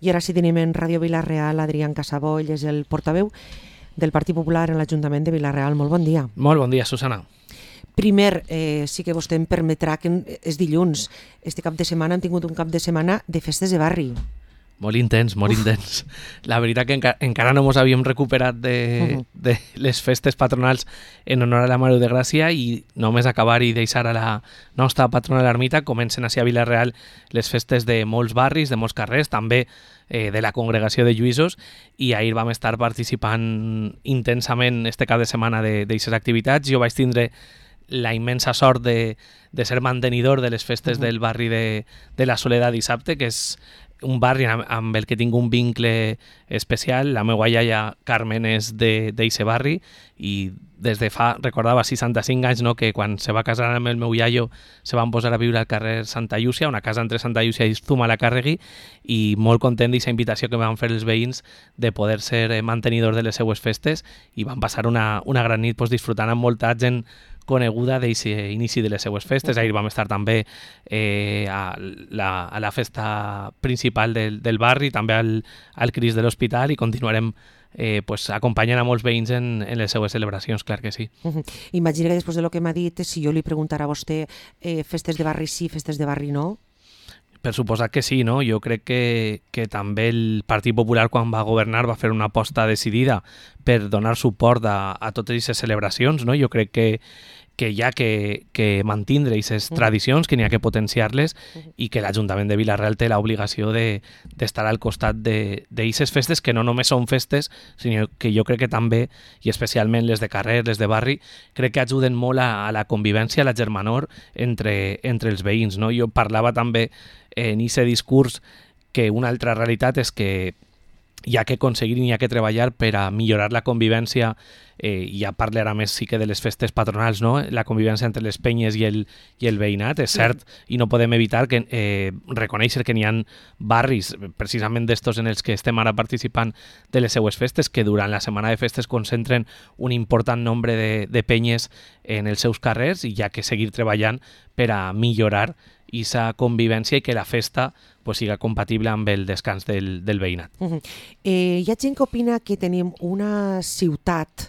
I ara sí tenim en Ràdio Vila-real Adrián Casabó, ell és el portaveu del Partit Popular en l'Ajuntament de Vila-real. Molt bon dia. Molt bon dia, Susana. Primer, sí que vostè em permetrà que és dilluns. Este cap de setmana hem tingut un cap de setmana de festes de barri. Molt intens, molt intens. La veritat que encara no ens havíem recuperat de les festes patronals en honor a la Mare de Gràcia i només acabar i deixar a la nostra patrona l'ermita comencen a ser a Vila-real les festes de molts barris, de molts carrers, també de la congregació de Lluïsos, i ahir vam estar participant intensament este cap de setmana d'aquestes activitats. Jo vaig tindre la immensa sort de ser mantenidor de les festes del barri de la Soledat dissabte, que és un barri amb el que tinc un vincle especial. La meva iaia Carmen és d'eixe barri i des de fa, recordava, 65 anys, no, que quan se va casar amb el meu iaio se van posar a viure al carrer Santa Llúcia, una casa entre Santa Llúcia i Zumalacárregui, i molt content d'aquesta invitació que van fer els veïns de poder ser mantenidors de les seues festes, i van passar una gran nit disfrutant amb molta gent coneguda d'aquest inici de les seues festes. Ahir vam estar també a la festa principal del barri, també al Crist de l'Hospital, i continuarem acompanyant a molts veïns en les seues celebracions, clar que sí. Imagina que després de lo que m'ha dit, si jo li preguntara a vostè festes de barri sí, festes de barri no? Per suposat que sí, no? Jo crec que també el Partit Popular, quan va governar, va fer una aposta decidida per donar suport a totes aquestes celebracions, no? Jo crec que hi ha que mantindre aquestes tradicions, que n'hi ha que potenciar-les, i que l'Ajuntament de Vila-real té l'obligació d'estar al costat d'aquestes festes, que no només són festes, sinó que jo crec que també, i especialment les de carrer, les de barri, crec que ajuden molt a la convivència, a la germanor entre els veïns, no? Jo parlava també en aquest discurs que una altra realitat és que hi ha que aconseguir i hi ha que treballar per a millorar la convivència, i ja parlarà més sí que de les festes patronals, no? La convivència entre les penyes i el veïnat, és cert, i no podem evitar reconèixer que n'hi ha barris, precisament d'estos en els que estem ara participant de les seues festes, que durant la setmana de festes concentren un important nombre de penyes en els seus carrers, i hi ha que seguir treballant per a millorar aquesta convivència i que la festa siga compatible amb el descans del veïnat. Hi ha gent que opina que tenim una ciutat,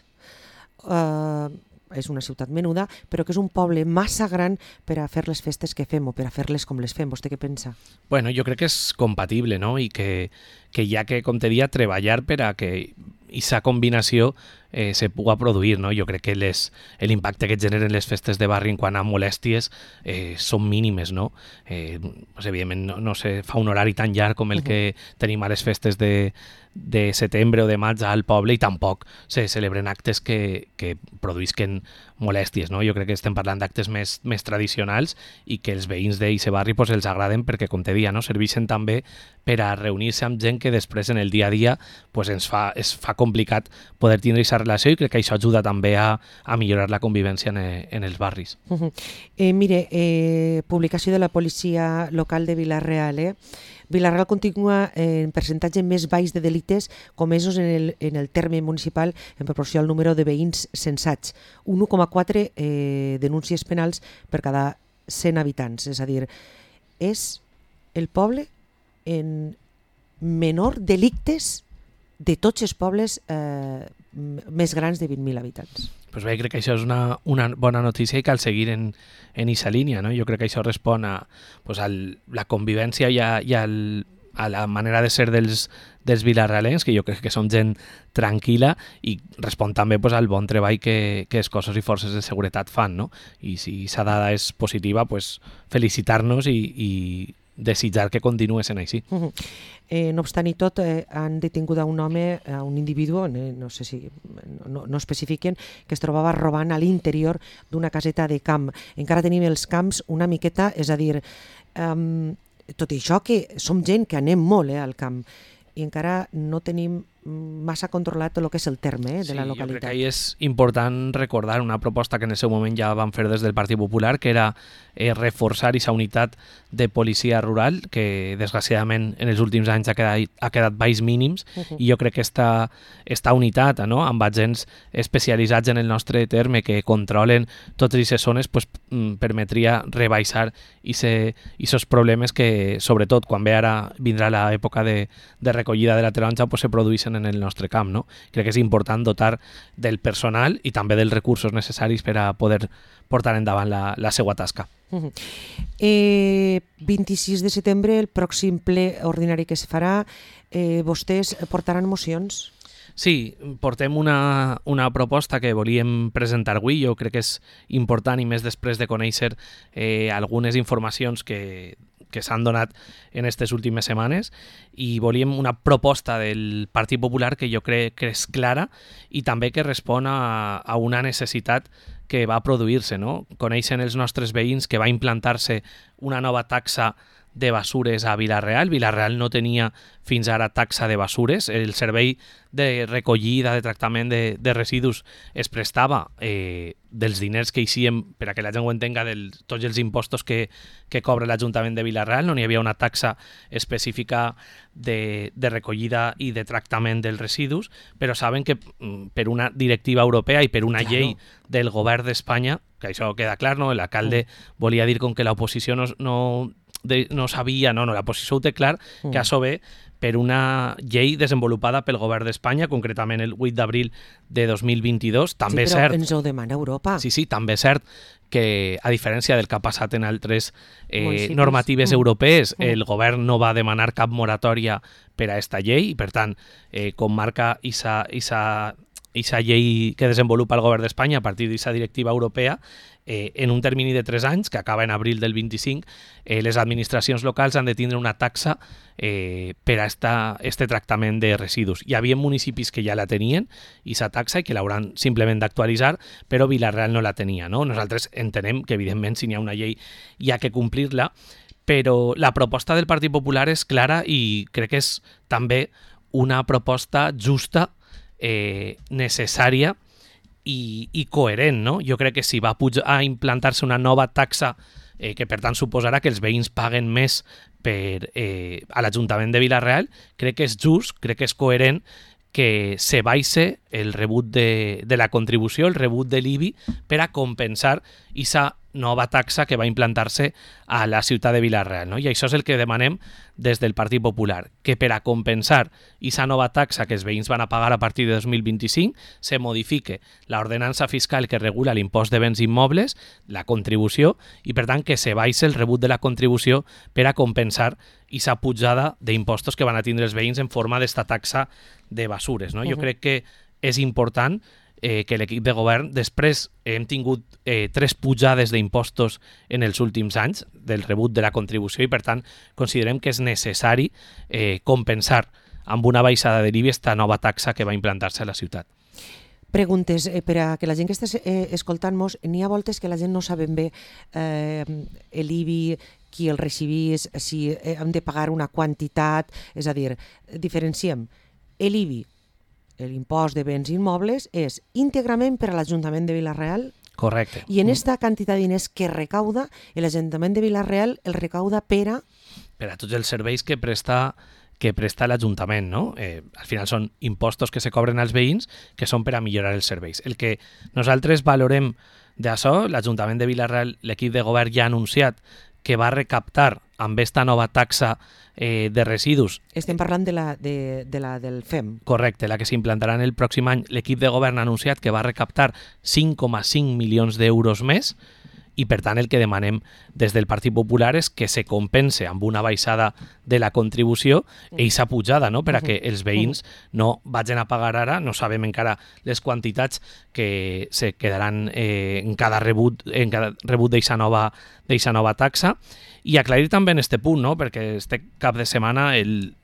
és una ciutat menuda, però que és un poble massa gran per a fer les festes que fem o per a fer-les com les fem. Vostè què pensa? Bueno, jo crec que és compatible, no? I que hi ha que, com te dia, treballar per a que aquesta combinació se pugui produir, no? Jo crec que l'impacte que generen les festes de barri en quant a molèsties són mínimes, no? Evidentment no se fa un horari tan llarg com el que tenim a les festes de setembre o de maig al poble, i tampoc se celebren actes que produïsquen molèsties, no? Jo crec que estem parlant d'actes més tradicionals i que els veïns d'aquest barri els agraden perquè, com te dia, no? Serveixen també per a reunir-se amb gent que després en el dia a dia es fa complicat poder tindre aquesta relació, i crec que això ajuda també a millorar la convivència en els barris. Mire, publicació de la policia local de Vila-real, Vila-real continua en percentatge més baix de delictes comesos en el terme municipal en proporció al número de veïns censats. Un 1,4 denúncies penals per cada 100 habitants. És a dir, és el poble en menor delictes de tots els pobles més grans de 20.000 habitants. Pues bé, crec que això és una bona notícia i cal seguir en aquesta línia, no? Jo crec que això respon a la convivència i a la manera de ser dels vilarrealencs, que jo crec que són gent tranquil·la, i respon també al bon treball que els cossos i forces de seguretat fan, no? I si aquesta dada és positiva, felicitar-nos i desitjar que continuï sent així. No obstant i tot, han detingut a un home, a un individu, no sé si no especifiquen, que es trobava robant a l'interior d'una caseta de camp. Encara tenim els camps una miqueta, és a dir, tot i això que som gent que anem molt al camp, i encara no tenim massa controlat tot el que és el terme de la localitat. Jo crec que ahí és important recordar una proposta que en el seu moment ja van fer des del Partit Popular, que era reforçar aquesta unitat de policia rural, que desgraciadament en els últims anys ha quedat baix mínims, i jo crec que esta unitat, no?, amb agents especialitzats en el nostre terme que controlen totes aquestes zones, pues, permetria rebaixar aquests problemes que, sobretot, quan ve ara vindrà l'època de recollida de la taronja, pues, se produeixen en el nostre camp, no? Crec que és important dotar del personal i també dels recursos necessaris per a poder portar endavant la seva tasca. 26 de setembre, el pròxim ple ordinari que es farà, vostès portaran mocions? Sí, portem una proposta que volíem presentar avui. Jo crec que és important, i més després de conèixer algunes informacions que s'han donat en aquestes últimes setmanes, i volíem una proposta del Partit Popular que jo crec que és clara i també que respon a una necessitat que va produir-se, no? Coneixen els nostres veïns que va implantar-se una nova taxa de basures a Vila-real. Vila-real no tenia fins ara taxa de basures. El servei de recollida, de tractament de residus es prestava dels diners que eixien, per a que la gent ho entenga, de tots els impostos que cobra l'Ajuntament de Vila-real. No hi havia una taxa específica de recollida i de tractament dels residus, però saben que per una directiva europea i per una llei del govern d'Espanya, que això queda clar, no? L'alcalde volia dir com que l'oposició no sabia, la posició ho té clar, que això ve per una llei desenvolupada pel govern d'Espanya, concretament el 8 d'abril de 2022. També sí, però ens ho demana Europa. Sí, també és cert que, a diferència del que ha passat en altres normatives europees, el govern no va demanar cap moratòria per a aquesta llei, i per tant, com marca aquesta llei que desenvolupa el govern d'Espanya a partir d'aquesta directiva europea, en un termini de 3 anys, que acaba en abril del 25, les administracions locals han de tindre una taxa per a este tractament de residus. Hi havia municipis que ja la tenien, aquesta taxa, i que l'hauran simplement d'actualitzar, però Vila-real no la tenia, no? Nosaltres entenem que, evidentment, si n'hi ha una llei hi ha que complir-la, però la proposta del Partit Popular és clara i crec que és també una proposta justa, necessària i coherent, no? Jo crec que si va a implantar-se una nova taxa que per tant suposarà que els veïns paguen més a l'Ajuntament de Vila-real, crec que és just, crec que és coherent que se baixe el rebut de la contribució, el rebut de l'IBI, per a compensar aquesta nova taxa que va implantar-se a la ciutat de Vila-real, no? I això és el que demanem des del Partit Popular, que per a compensar aquesta nova taxa que els veïns van a pagar a partir de 2025 se modifique l'ordenança fiscal que regula l'impost de béns immobles, la contribució, i per tant que se baixe el rebut de la contribució per a compensar aquesta pujada d'impostos que van a tindre els veïns en forma d'esta taxa de basures, no? Jo crec que és important que l'equip de govern, després hem tingut 3 pujades d'impostos en els últims anys del rebut de la contribució, i per tant considerem que és necessari compensar amb una baixada de l'IBI esta nova taxa que va implantar-se a la ciutat. Preguntes, per a que la gent que està escoltant-nos, n'hi ha voltes que la gent no saben bé l'IBI, qui el recibís, si hem de pagar una quantitat, és a dir, diferenciem l'IBI, l'impost de béns immobles, és íntegrament per a l'Ajuntament de Vila-real. Correcte. I en aquesta quantitat de diners que recauda, l'Ajuntament de Vila-real el recauda per a tots els serveis que presta l'Ajuntament, no? Al final són impostos que se cobren als veïns que són per a millorar els serveis. El que nosaltres valorem d'això, l'Ajuntament de Vila-real, l'equip de govern ja ha anunciat que va recaptar amb aquesta nova taxa de residus. Estem parlant de la del FEM. Correcte, la que s'implantarà en el pròxim any. L'equip de govern ha anunciat que va recaptar 5,5 milions d'euros més, i per tant el que demanem des del Partit Popular és que se compense amb una baixada de la contribució aquesta pujada, no? Per a que els veïns no vagin a pagar ara, no sabem encara les quantitats que se quedaran en cada rebut d'aquesta nova taxa. I aclarir també en este punt, no? Perquè este cap de setmana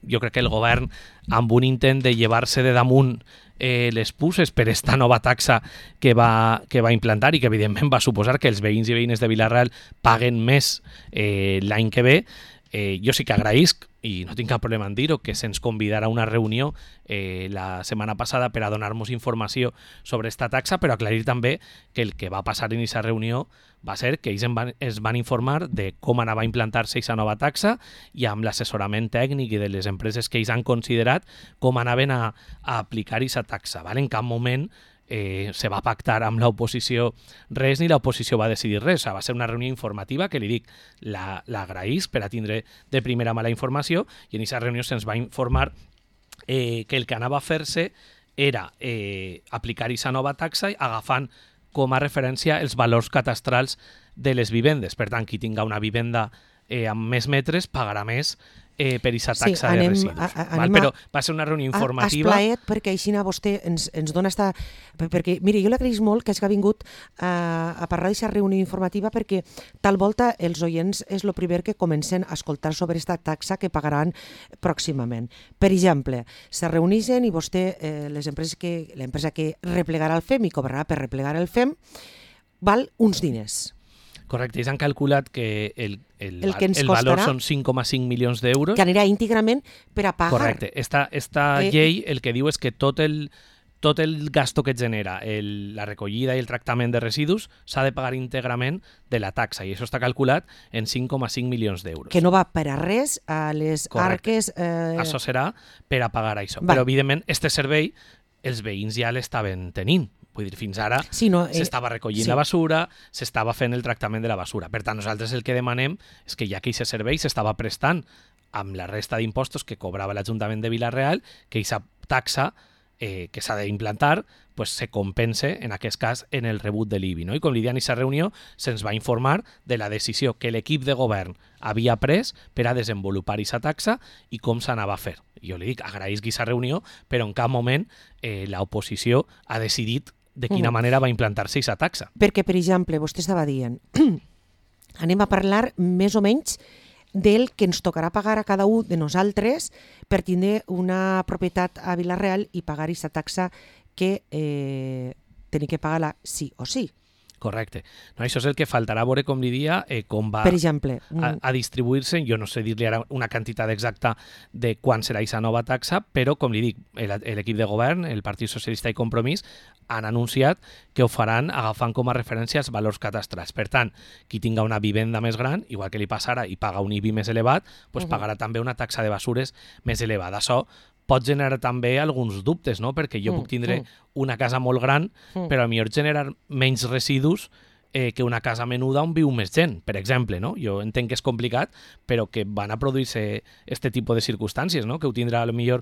jo crec que el govern, amb un intent de llevar-se de damunt les puces per esta nova taxa que va implantar i que evidentment va suposar que els veïns i veïnes de Vila-real paguen més l'any que ve, jo sí que agraïsc, i no tinc cap problema en dir-ho, que se'ns convidarà a una reunió la setmana passada per a donar-nos informació sobre esta taxa, però aclarir també que el que va passar en aquesta reunió va ser que ells es van informar de com anava a implantar-se aquesta nova taxa i amb l'assessorament tècnic i de les empreses que ells han considerat com anaven a aplicar aquesta taxa. Val? En cap moment se va pactar amb l'oposició res ni l'oposició va decidir res. O sigui, va ser una reunió informativa que li dic, l'agraïs per a tindre de primera mà la informació, i en aquesta reunió se'ns va informar que el que anava a fer-se era aplicar aquesta nova taxa agafant com a referència els valors catastrals de les vivendes. Per tant, qui tinga una vivenda amb més metres pagarà més per aquesta taxa de residus. Però va ser una reunió informativa. Esplaet, perquè així vostè ens dona esta... Perquè, mire, jo l'agraïs molt que hagi vingut a parlar d'aquesta reunió informativa, perquè tal volta els oients és el primer que comencen a escoltar sobre aquesta taxa que pagaran pròximament. Per exemple, se reuneixen i vostè, l'empresa que replegarà el FEM i cobrarà per replegar el FEM, val uns diners. Correcte, ells han calculat que el valor són 5,5 milions d'euros. Que anirà íntegrament per a pagar. Correcte. Esta llei el que diu és que tot el gasto que genera la recollida i el tractament de residus s'ha de pagar íntegrament de la taxa, i això està calculat en 5,5 milions d'euros. Que no va per a res a les arques... Això serà per a pagar això. Però, evidentment, este servei els veïns ja l'estaven tenint. Vull dir, fins ara s'estava recollint la basura, s'estava fent el tractament de la basura. Per tant, nosaltres el que demanem és que ja que aquest servei s'estava prestant amb la resta d'impostos que cobrava l'Ajuntament de Vila-real, que aquesta taxa que s'ha d'implantar se compense, en aquest cas, en el rebut de l'IBI. I com li deia en aquesta reunió, se'ns va informar de la decisió que l'equip de govern havia pres per a desenvolupar aquesta taxa i com s'anava a fer. Jo li dic, agraïsc aquesta reunió, però en cap moment l'oposició ha decidit de quina manera va implantar-se aquesta taxa. Perquè, per exemple, vostè estava dient, anem a parlar més o menys del que ens tocarà pagar a cada un de nosaltres per tindre una propietat a Vila-real i pagar aquesta taxa que tenim que pagar-la sí o sí. Correcte. No, això és el que faltarà veure, com li dia, com va per exemple, a distribuir-se. Jo no sé dir-li ara una quantitat exacta de quan serà aquesta nova taxa, però, com li dic, l'equip de govern, el Partit Socialista i Compromís, han anunciat que ho faran agafant com a referència els valors catastrals. Per tant, qui tinga una vivenda més gran, igual que li passarà i paga un IBI més elevat, pagarà també una taxa de basures més elevada. Això pot generar també alguns dubtes, no? Perquè jo puc tindre una casa molt gran, però potser generar menys residus que una casa menuda on viu més gent, per exemple, no? Jo entenc que és complicat, però que van a produir-se este tipus de circumstàncies, no? Que ho tindrà potser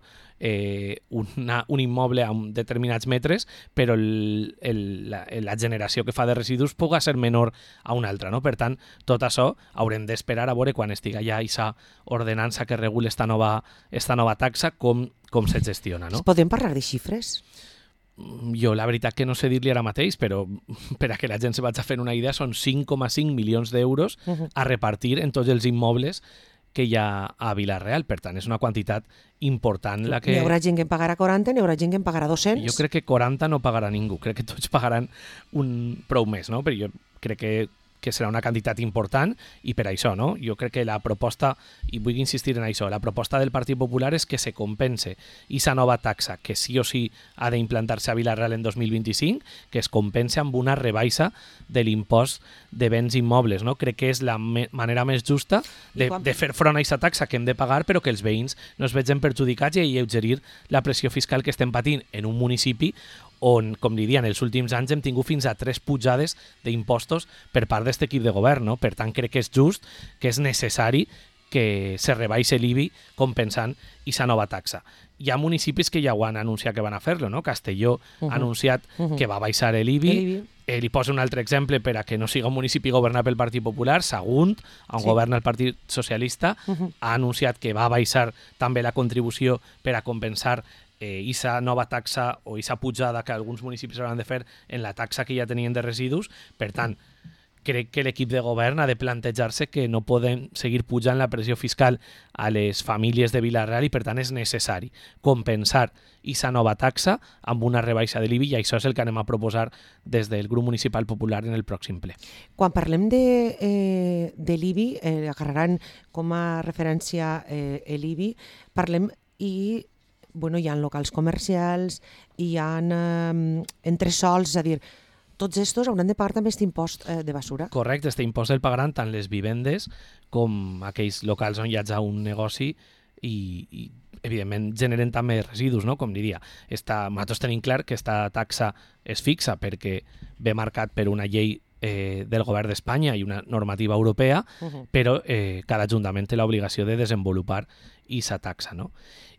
un immoble amb determinats metres, però la generació que fa de residus pugui ser menor a una altra, no? Per tant, tot això haurem d'esperar a veure quan estigui ja aquesta ordenança que regula esta nova taxa, com se gestiona, no? Podem parlar de xifres? Jo la veritat que no sé dir-li ara mateix, però per a que la gent se vagi a fer una idea, són 5,5 milions d'euros a repartir en tots els immobles que hi ha a Vila-real. Per tant, és una quantitat important la que... N'hi haurà gent que en pagarà 40, n'hi haurà gent que en pagarà 200. Jo crec que 40 no pagarà ningú, crec que tots pagaran prou més, no? Però jo crec que serà una quantitat important i per això, no? Jo crec que la proposta, i vull insistir en això, la proposta del Partit Popular és que se compense aquesta nova taxa que sí o sí ha d'implantar-se a Vila-real en 2025, que es compense amb una rebaixa de l'impost de béns immobles, no? Crec que és la manera més justa de fer front a aquesta taxa que hem de pagar, però que els veïns no es vegin perjudicats i alleugerir la pressió fiscal que estem patint en un municipi on, com li diuen, en els últims anys hem tingut fins a 3 pujades d'impostos per part d'aquest equip de govern, no? Per tant, crec que és just, que és necessari que se rebaixi l'IBI compensant aquesta nova taxa. Hi ha municipis que ja ho han anunciat que van a fer-lo, no? Castelló ha anunciat que va baixar l'IBI. Li poso un altre exemple per a que no siga un municipi governat pel Partit Popular. Sagunt, on governa el Partit Socialista, ha anunciat que va baixar també la contribució per a compensar aquesta nova taxa o aquesta pujada que alguns municipis hauran de fer en la taxa que ja tenien de residus. Per tant, crec que l'equip de govern ha de plantejar-se que no poden seguir pujant la pressió fiscal a les famílies de Vila-real i per tant és necessari compensar aquesta nova taxa amb una rebaixa de l'IBI i això és el que anem a proposar des del grup municipal popular en el pròxim ple. Quan parlem de l'IBI, agarraran com a referència l'IBI, parlem i hi ha locals comercials, hi ha entresòls, és a dir, tots estos hauran de pagar també aquest impost de basura. Correcte, aquest impost el pagaran tant les vivendes com aquells locals on hi hagi un negoci i evidentment generen també residus, no? Com diria. Nosaltres tenim clar que aquesta taxa és fixa perquè ve marcat per una llei del govern d'Espanya i una normativa europea, però cada ajuntament té l'obligació de desenvolupar aquesta taxa, no?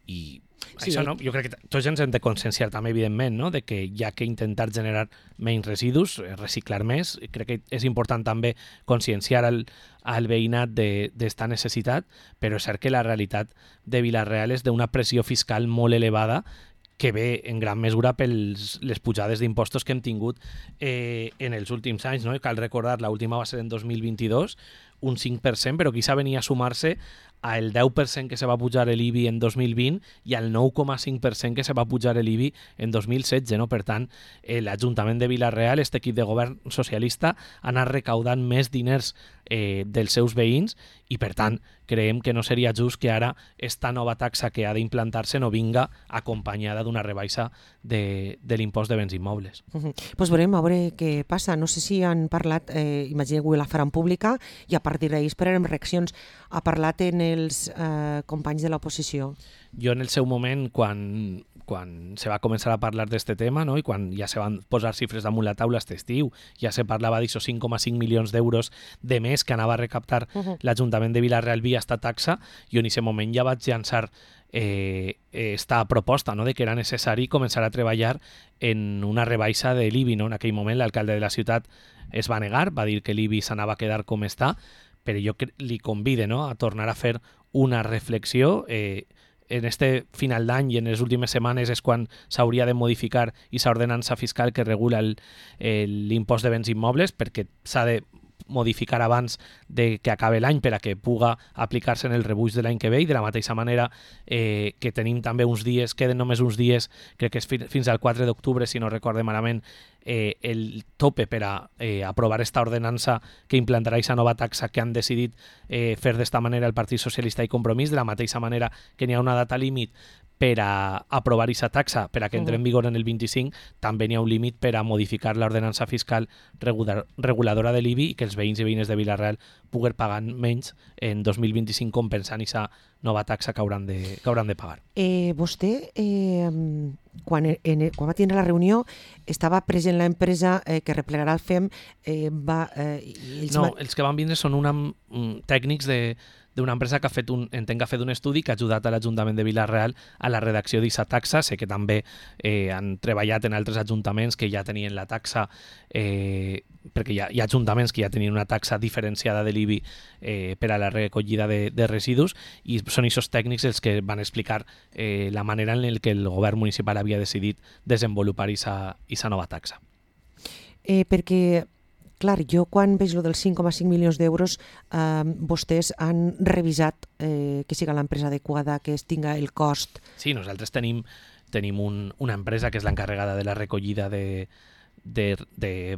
I sí, això, no? Jo crec que tots ens hem de conscienciar també, evidentment, no? De que hi ha que intentar generar menys residus, reciclar més. Crec que és important també conscienciar al veïnat d'esta necessitat, però és cert que la realitat de Vila-real és d'una pressió fiscal molt elevada que ve en gran mesura per les pujades d'impostos que hem tingut en els últims anys, no? Cal recordar, l'última va ser en 2022, un 5%, però quizá venia a sumar-se al 10% que se va pujar l'IBI en 2020 i al 9,5% que se va pujar l'IBI en 2016. No? Per tant, l'Ajuntament de Vila-real, aquest equip de govern socialista, ha anat recaudant més diners dels seus veïns i, per tant, creiem que no seria just que ara esta nova taxa que ha d'implantar-se no vinga acompanyada d'una rebaixa de l'impost de béns immobles. Pues veurem a veure què passa. No sé si han parlat, imagino que la faran pública i a partir d'ahir esperarem reaccions. Ha parlat en els companys de l'oposició? Jo en el seu moment, quan se va començar a parlar d'aquest tema, no? I quan ja se van posar xifres damunt la taula aquest estiu, ja se parlava d'això 5,5 milions d'euros de més que anava a recaptar l'Ajuntament de Vila-real via esta taxa, jo en aquest moment ja vaig llançar esta proposta, no? De que era necessari començar a treballar en una rebaixa de l'IBI. No? En aquell moment l'alcalde de la ciutat es va negar, va dir que l'IBI s'anava a quedar com està, però jo li convide, no? A tornar a fer una reflexió. En este final d'any i en les últimes setmanes és quan s'hauria de modificar aquesta ordenança fiscal que regula l'impost de béns immobles, perquè s'ha de modificar abans de que acabi l'any per a que puga aplicar-se en el rebuig de l'any que ve, i de la mateixa manera que tenim també uns dies, queden només uns dies, crec que és fins al 4 d'octubre, si no recorde malament, el tope per a aprovar esta ordenança que implantarà aquesta nova taxa que han decidit fer d'esta manera el Partit Socialista i Compromís, de la mateixa manera que n'hi ha una data límit per a aprovar aquesta taxa, per a que entre en vigor en el 25, també n'hi ha un límit per a modificar l'ordenança fiscal reguladora de l'IBI i que els veïns i veïnes de Vila-real puguen pagar menys en 2025 compensant aquesta nova taxa que hauran de pagar. Vostè, quan va tenir la reunió, estava present l'empresa que replegarà el FEM. Els que van vindre són tècnics d'una empresa que ha fet un estudi que ha ajudat a l'Ajuntament de Vila-real a la redacció d'aquesta taxa. Sé que també han treballat en altres ajuntaments que ja tenien la taxa, perquè hi ha ajuntaments que ja tenien una taxa diferenciada de l'IBI per a la recollida de residus, i són aquests tècnics els que van explicar la manera en què el govern municipal havia decidit desenvolupar aquesta nova taxa. Perquè clar, jo quan veig lo dels 5,5 milions d'euros, vostès han revisat que siga l'empresa adequada, que es tinga el cost. Sí, nosaltres tenim una empresa que és l'encarregada de la recollida de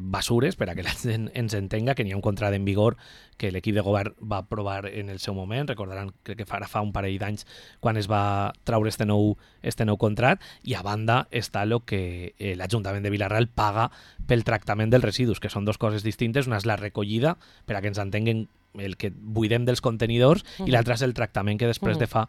basures, per a que la gent ens entenga, que n'hi ha un contracte en vigor que l'equip de govern va aprovar en el seu moment. Recordaran, crec que fa un parell d'anys quan es va traure este nou contracte, i a banda està el que l'Ajuntament de Vila-real paga pel tractament dels residus, que són dues coses distintes. Una és la recollida, per a que ens entenguen, el que buidem dels contenidors, i l'altre és el tractament que després se fa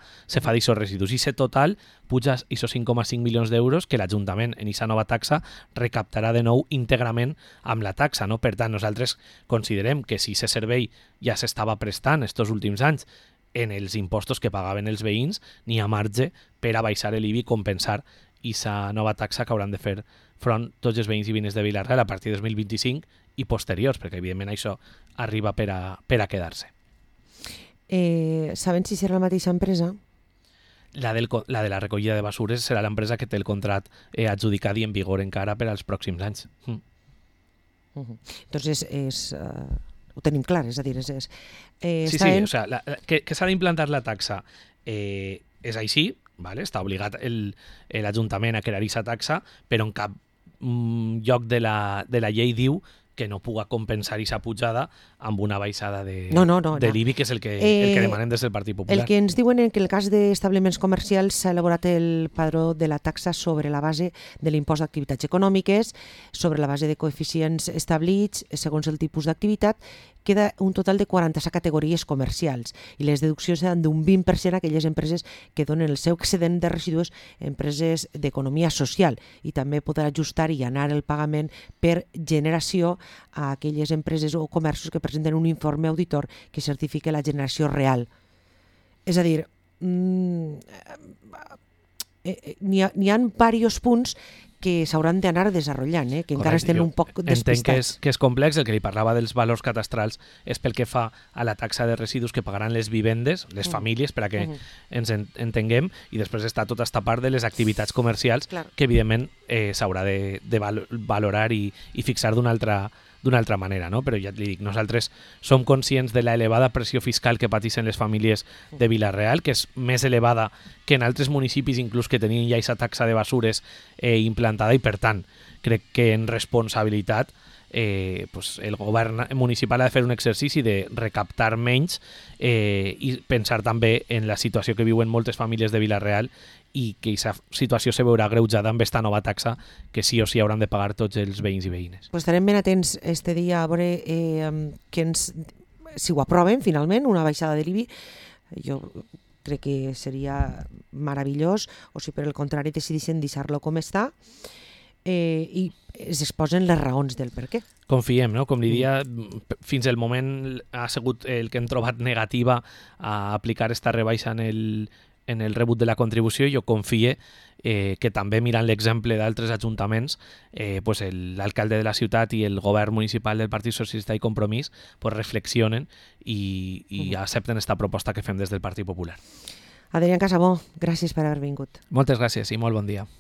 d'aquests residus. I aquest total puja a 5,5 milions d'euros que l'Ajuntament en aquesta nova taxa recaptarà de nou íntegrament amb la taxa. No? Per tant, nosaltres considerem que si aquest servei ja s'estava prestant estos últims anys en els impostos que pagaven els veïns, n'hi ha marge per a baixar l'IBI i compensar aquesta nova taxa que hauran de fer front tots els veïns i veïnes de Vila-real a partir del 2025 i posteriors, perquè evidentment això arriba per a quedar-se. Saben si serà la mateixa empresa? La de la recollida de basures serà l'empresa que té el contracte adjudicat i en vigor encara per als pròxims anys. Entonces és ho tenim clar, és a dir, Sí, o sea, que s'ha d'implantar la taxa és així, vale? Està obligat l'Ajuntament a crear aquesta taxa, però en cap lloc de la llei diu que no puga compensar aquesta pujada amb una baixada de l'IBI, que és el que demanem des del Partit Popular. El que ens diuen és que en el cas d'establiments comercials s'ha elaborat el padró de la taxa sobre la base de l'impost d'activitats econòmiques, sobre la base de coeficients establits segons el tipus d'activitat. Queda un total de 47 categories comercials i les deduccions seran d'un 20% a aquelles empreses que donen el seu excedent de residus a empreses d'economia social, i també podrà ajustar i anar el pagament per generació a aquelles empreses o comerços que presenten un informe auditor que certifique la generació real. És a dir, n'hi ha diversos punts que s'hauran d'anar desenvolupant, que encara estem un poc despistats. Entenc que és complex. El que li parlava dels valors catastrals és pel que fa a la taxa de residus que pagaran les vivendes, les famílies, per a que ens entenguem, i després està tota aquesta part de les activitats comercials que evidentment s'haurà de valorar i fixar d'una altra manera, no? Però ja et dic, nosaltres som conscients de la elevada pressió fiscal que pateixen les famílies de Vila-real, que és més elevada que en altres municipis, inclús que tenien ja aquesta taxa de basures implantada, i per tant crec que en responsabilitat el govern municipal ha de fer un exercici de recaptar menys i pensar també en la situació que viuen moltes famílies de Vila-real, i que aquesta situació se veurà agreujada amb aquesta nova taxa que sí o sí hauran de pagar tots els veïns i veïnes. Pues estarem ben atents este dia a veure si ho aproven finalment, una baixada de l'IBI. Jo crec que seria meravellós, o si per el contrari decideixen deixar-lo com està, i es exposen les raons del per què. Confiem, no? Com li dia, fins al moment ha sigut el que hem trobat negativa a aplicar esta rebaixa en el rebut de la contribució. Jo confie que també mirant l'exemple d'altres ajuntaments, l'alcalde de la ciutat i el govern municipal del Partit Socialista i Compromís reflexionen i accepten esta proposta que fem des del Partit Popular. Adrián Casabó, gràcies per haver vingut. Moltes gràcies i molt bon dia.